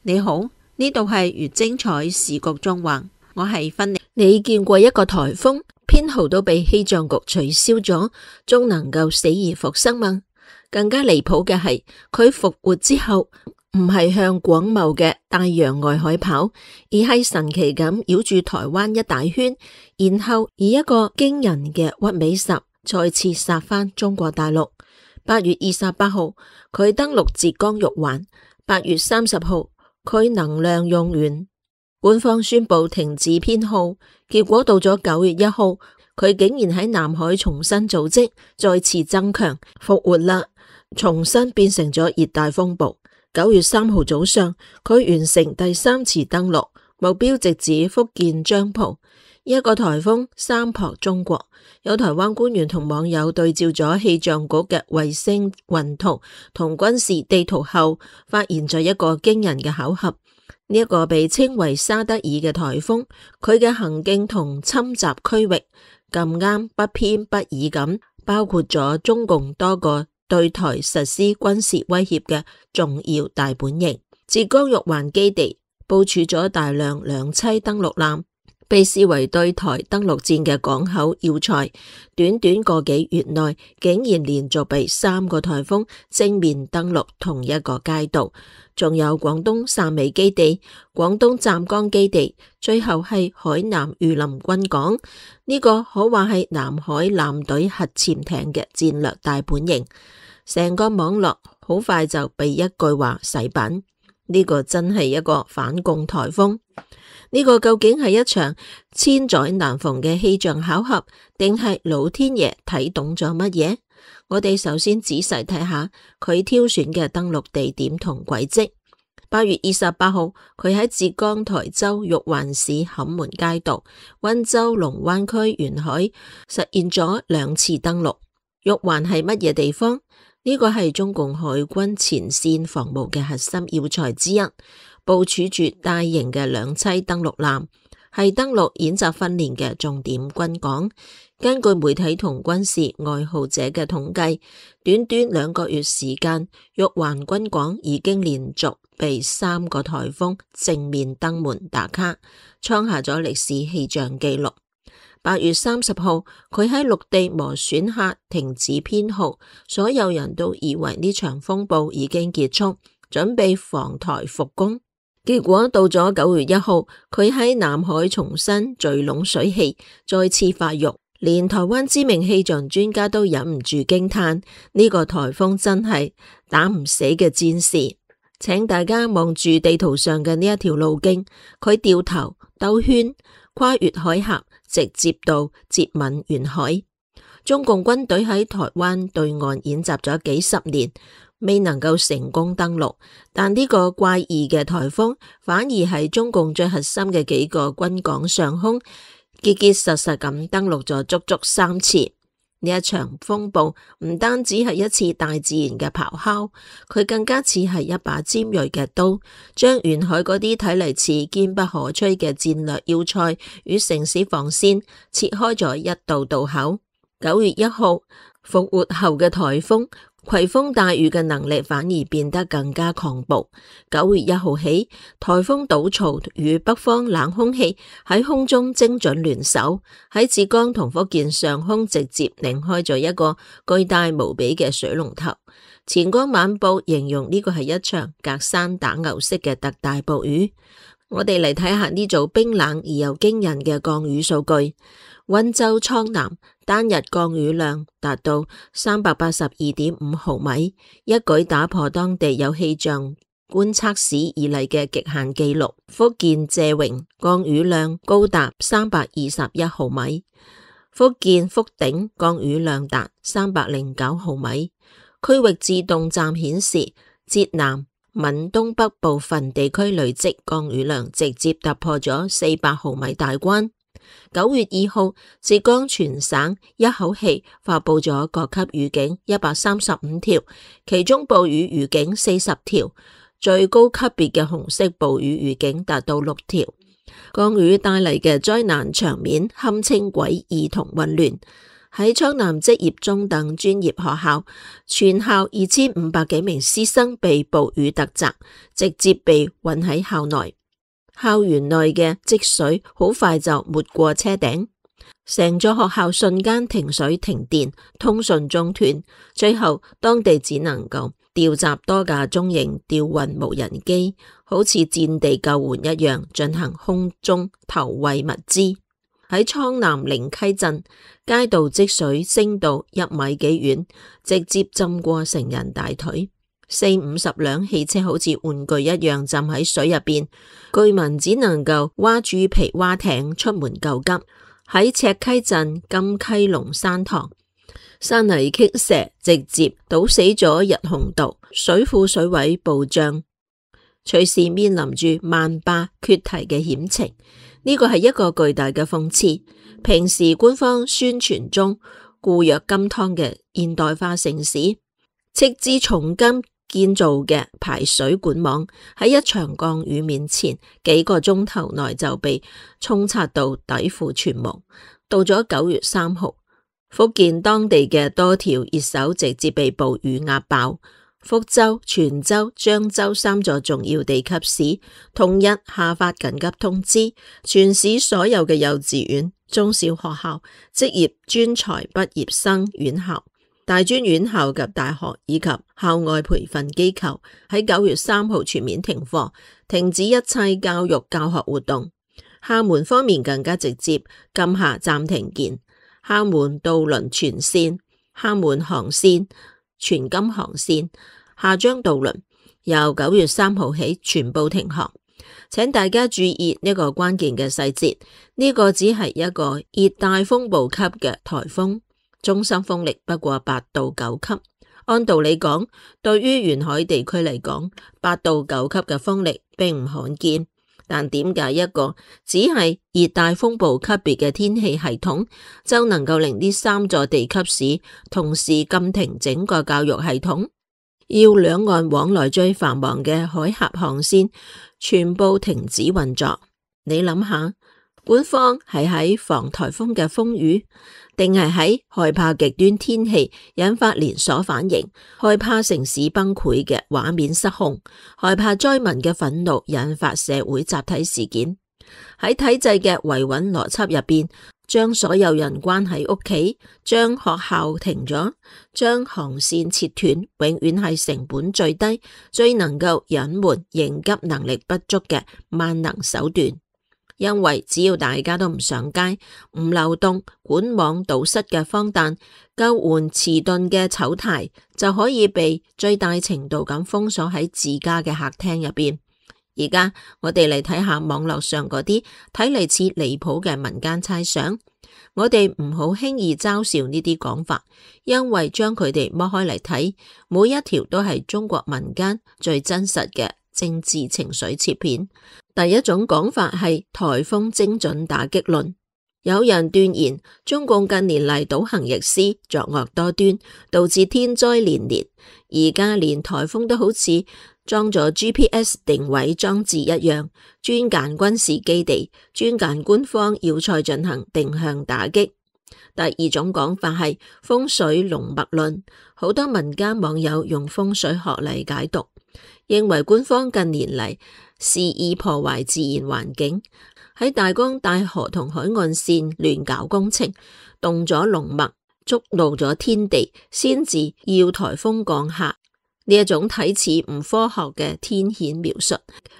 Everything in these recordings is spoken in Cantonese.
你好，呢度係越精彩時局縱橫，我係芬妮。你見過一個颱風編號都被氣象局取消咗，仲能夠死而復生嗎？更加離譜嘅係，佢復活之後唔係向廣袤嘅大洋外海跑，而係神奇咁繞住台灣一大圈，然後以一個驚人嘅屈尾十再次殺返中國大陸。8月28號，佢登陸浙江玉環；8月30號，佢能量用完，官方宣布停止編號。結果到咗9月1號，佢竟然喺南海重新組織，再次增強，復活啦，重新變成咗熱帶風暴。9月3號早上，佢完成第3次登陸，目標直指福建漳浦。一個颱風三撲中國，有台灣官員同網友對照咗氣象局嘅衛星雲圖同軍事地圖後，發現咗一個驚人嘅巧合。呢一個被稱為沙德爾嘅颱風，佢嘅行徑同侵襲區域咁啱不偏不倚咁，包括咗中共多個對台實施軍事威脅嘅重要大本營。浙江玉環基地部署咗大量兩棲登陸艦，被視為對台登陸戰嘅港口要塞。短短個幾月內，竟然連續被3個颱風正面登陸同一個街道。仲有廣東汕尾基地、廣東湛江基地，最後係海南榆林軍港。呢個可話係南海艦隊核潛艇嘅戰略大本營。成個網絡好快就被一句話洗版，呢個真係一個反共颱風。呢個究竟係一場千載難逢嘅氣象巧合，定係老天爺睇懂咗乜嘢？我哋首先仔細睇下佢挑選嘅登陸地點同軌跡。8月28號，佢喺浙江台州玉環市坎門街道、溫州龍灣區沿海實現咗2次登陸。玉環係乜嘢地方？呢個係中共海軍前線防務嘅核心要塞之一，部署住大型嘅兩棲登陸艦，係登陸演習訓練嘅重點軍港。根據媒體同軍事愛好者嘅統計，短短2個月時間，玉環軍港已經連續被3個颱風正面登門打卡，創下咗歷史氣象紀錄。8月30號，佢喺陸地磨損下停止編號，所有人都以為呢場風暴已經結束，準備防台復工。結果到咗9月1號，佢喺南海重新聚攏水氣，再次發育，連台灣知名氣象專家都忍唔住驚嘆：呢個颱風真係打唔死嘅戰士。請大家望住地圖上嘅呢一條路徑，佢掉頭兜圈，跨越海峽，直接到接吻沿海。中共軍隊喺台灣對岸演習咗幾十年，未能夠成功登陸，但呢個怪異嘅颱風反而係中共最核心嘅幾個軍港上空結結實實咁登陸咗足足3次。呢一場風暴唔單止係一次大自然嘅咆哮，佢更加似係一把尖銳嘅刀，將沿海嗰啲睇嚟似堅不可摧嘅戰略要塞與城市防線切開咗一道道口。9月1號復活後嘅颱風，攜風帶雨嘅能力反而變得更加狂暴。9月1號起，颱風倒槽與北方冷空氣喺空中精準聯手，喺浙江同福建上空直接擰開咗一個巨大無比嘅水龍頭。前江晚報形容呢個係一場隔山打牛式嘅特大暴雨。我哋嚟睇下呢組冰冷而又驚人嘅降雨數據。溫州蒼南單日降雨量達到382.5毫米，一舉打破當地有氣象觀測史以嚟嘅極限紀錄。福建謝榮降雨量高達321毫米，福建福鼎降雨量達309毫米。區域自動站顯示，浙南閩東北部分地區累積降雨量直接突破咗400毫米大關。9月2號，浙江全省一口氣發布咗各級雨警135條，其中暴雨預警40條，最高級別嘅紅色暴雨預警達到6條。降雨帶嚟嘅災難場面堪稱詭異同混亂。喺蒼南職業中等專業學校，全校2500幾名師生被暴雨突襲，直接被困喺校內。校園內嘅積水好快就沒過車頂，成座學校瞬間停水停電，通訊中斷。最後當地只能夠調集多架中型吊運無人機，好似戰地救援一樣進行空中投餵物資。喺蒼南靈溪鎮，街道積水升到1米幾遠，直接浸過成人大腿，40-50輛汽車好似玩具一樣浸喺水入邊，居民只能夠划豬皮划艇出門救急。喺赤溪鎮金溪龍山塘，山泥傾瀉直接堵死咗日紅道，水庫水位暴漲，隨時面臨住萬壩決堤嘅險情。呢個係一個巨大嘅諷刺。平時官方宣傳中固若金湯嘅現代化城市，斥資重金建造嘅排水管網，喺一場降雨面前，幾個鐘頭內就被沖刷到底褲全無。到咗9月3號，福建當地嘅多條熱搜直接被暴雨壓爆。福州、泉州、漳州3座重要地級市同日下發緊急通知，全市所有嘅幼稚園、中小學校、職業專才畢業生院校、大專院校及大學以及校外培訓機構喺9月3號全面停課，停止一切教育教學活動。廈門方面更加直接禁下暫停鍵，廈門渡輪全線、廈門航線、全金航線、廈漳渡輪由9月3號起全部停航。請大家注意呢個關鍵嘅細節，呢個只係一個熱帶風暴級嘅颱風，中心風力不過8到9級。按道理講，對於沿海地區嚟講，8到9級嘅風力並唔罕見。但點解一個只係熱帶風暴級別嘅天氣系統就能夠令呢3座地級市同時禁停整個教育系統，要兩岸往來最繁忙嘅海峽航線全部停止運作？你諗下，官方係喺防颱風嘅風雨，定係喺害怕極端天氣引發連鎖反應，害怕城市崩潰嘅畫面失控，害怕災民嘅憤怒引發社會集體事件？喺體制嘅維穩邏輯入邊，將所有人關喺屋企，將學校停咗，將航線切斷，永遠係成本最低、最能夠隱瞞應急能力不足嘅萬能手段。因為只要大家都唔上街、唔流動、管網堵塞嘅荒誕、救援遲鈍嘅醜態，就可以被最大程度咁封鎖喺自家嘅客廳入邊。而家我哋嚟睇下網絡上嗰啲睇嚟似離譜嘅民間猜想，我哋唔好輕易嘲笑呢啲講法，因為將佢哋剝開嚟睇，每一條都係中國民間最真實嘅政治情緒切片。第一種講法係颱風精準打擊論，有人斷言中共近年嚟倒行逆施、作惡多端，導致天災連連。而家連颱風都好似裝咗 GPS 定位裝置一樣，專揀軍事基地，專揀官方要塞進行定向打擊。第二種講法係風水龍脈論，好多民間網友用風水學嚟解讀，認為官方近年嚟肆意破壞自然環境，喺大江大河同海岸線亂搞工程，動咗龍脈，觸怒咗天地，先至要颱風降下。呢一種睇似唔科學嘅天譴描述，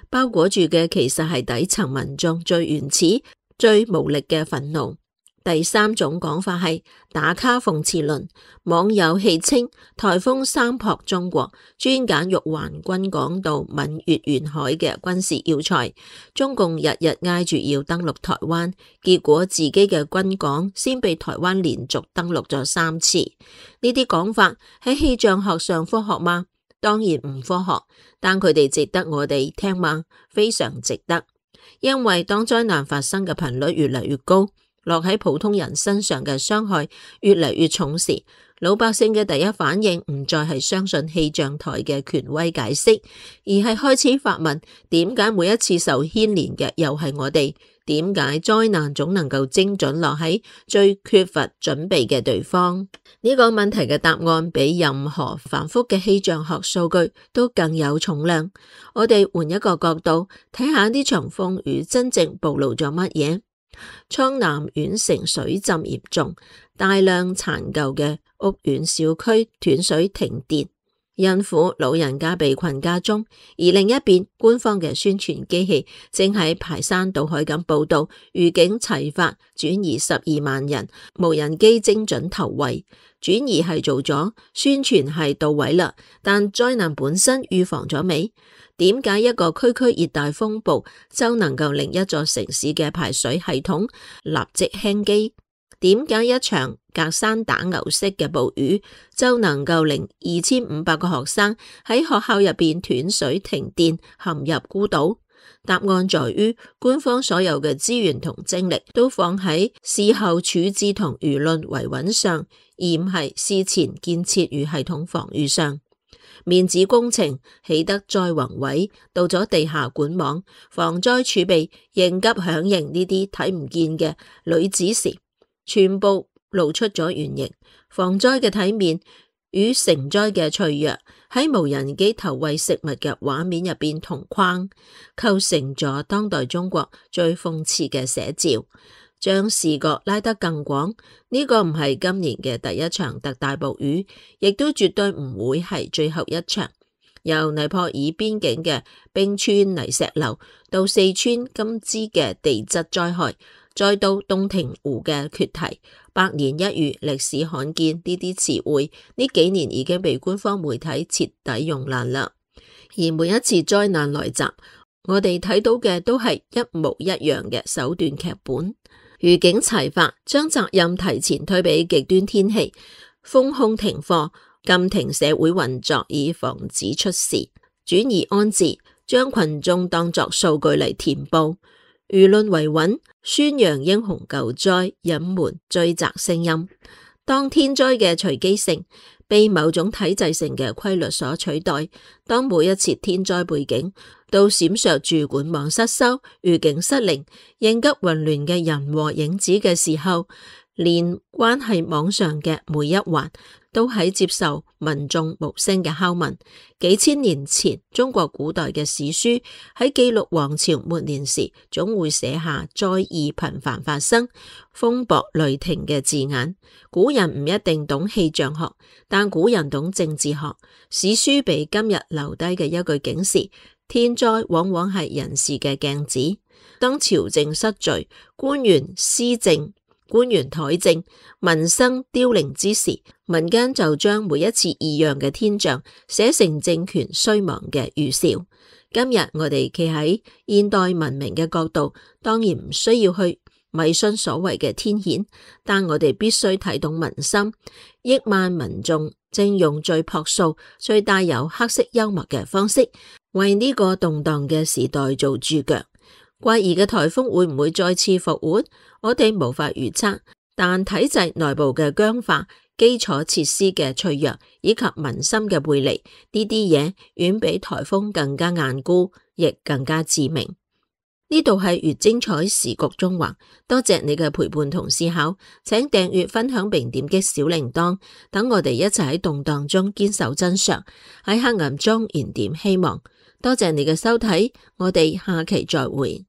包裹住嘅其實係底層民眾最原始、最無力嘅憤怒。第三種講法係打卡諷刺論，網友戲稱颱風三撲中國，專揀玉環軍港到閩粵沿海嘅軍事要塞，中共日日挨住要登陸台灣，結果自己嘅軍港先被台灣連續登陸咗3次。呢啲講法喺氣象學上科學嗎？當然唔科學，但佢哋值得我哋聽嗎？非常值得，因為當災難發生嘅頻率越嚟越高，落喺普通人身上嘅傷害越嚟越重時，老百姓嘅第一反應唔再係相信氣象台嘅權威解釋，而係開始發問：點解每一次受牽連嘅又係我哋？點解災難總能夠精準落喺最缺乏準備嘅地方？呢個問題嘅答案比任何繁複嘅氣象學數據都更有重量。我哋換一個角度睇下呢場風雨真正暴露咗乜嘢？蒼南縣城水浸嚴重，大量殘舊嘅屋苑小區斷水停電，孕婦老人家被困家中，而另一邊官方嘅宣傳機器正喺排山倒海咁報道預警齊發轉移12萬人，無人機精準投餵，轉移係做咗，宣傳係到位啦，但災難本身預防咗未？點解一個區區熱帶風暴就能夠令一座城市嘅排水系統立即輕機？點解一場隔山打牛式嘅暴雨就能夠令2500個學生喺學校入邊斷水停電陷入孤島？答案在於官方所有嘅資源同精力都放喺事後處置同輿論維穩上，而唔係事前建設與系統防禦上。面子工程起得再宏偉，到咗地下管網、防災儲備應急響應呢啲睇唔見嘅女子時，全部露出咗原形。防災嘅體面與成災嘅脆弱喺無人機投餵食物嘅畫面入邊同框，構成咗當代中國最諷刺嘅寫照。將視角拉得更廣，呢個唔係今年嘅第一場特大暴雨，亦都絕對唔會係最後一場。由尼泊爾邊境嘅冰川泥石流，到四川金枝嘅地質災害，再到洞庭湖嘅決堤，百年一遇、歷史罕見呢啲詞彙，呢幾年已經被官方媒體徹底用爛啦。而每一次災難來襲，我哋睇到嘅都係一模一樣嘅手段劇本。預警齊發，將責任提前推俾極端天氣，封控停課，禁停社會運作以防止出事，轉移安置，將群眾當作數據嚟填報，輿論維穩，宣揚英雄救災，隱瞞追責聲音。當天災嘅隨機性被某種體制性嘅規律所取代，當每一次天災背景都閃爍住管網失修、預警失靈、應急混亂嘅人和影子嘅時候，連關係網上嘅每一環都喺接受民眾無聲嘅拷問。幾千年前，中國古代嘅史書喺記錄王朝末年時，總會寫下災異頻繁發生、風雹雷霆嘅字眼。古人唔一定懂氣象學，但古人懂政治學。史書俾今日留低嘅一句警示：天災往往係人事嘅鏡子。當朝政失序、官員施政、官員怠政、民生凋零之時，民間就將每一次異樣嘅天象寫成政權衰亡嘅預兆。今日我哋企喺現代文明嘅角度，當然唔需要去迷信所謂嘅天譴，但我哋必須睇懂民心。億萬民眾正用最樸素、最帶有黑色幽默嘅方式，為呢個動盪嘅時代做注腳。怪異嘅颱風會唔會再次復活？我哋無法預測，但體制內部嘅僵化、基礎設施嘅脆弱以及民心嘅背離，呢啲嘢遠比颱風更加硬固，亦更加致命。呢度係越精彩時局縱橫，多謝你嘅陪伴同思考，請訂閱、分享並點擊小鈴鐺，等我哋一齊喺動盪中堅守真相，喺黑暗中燃點希望。多謝你嘅收睇，我哋下期再會。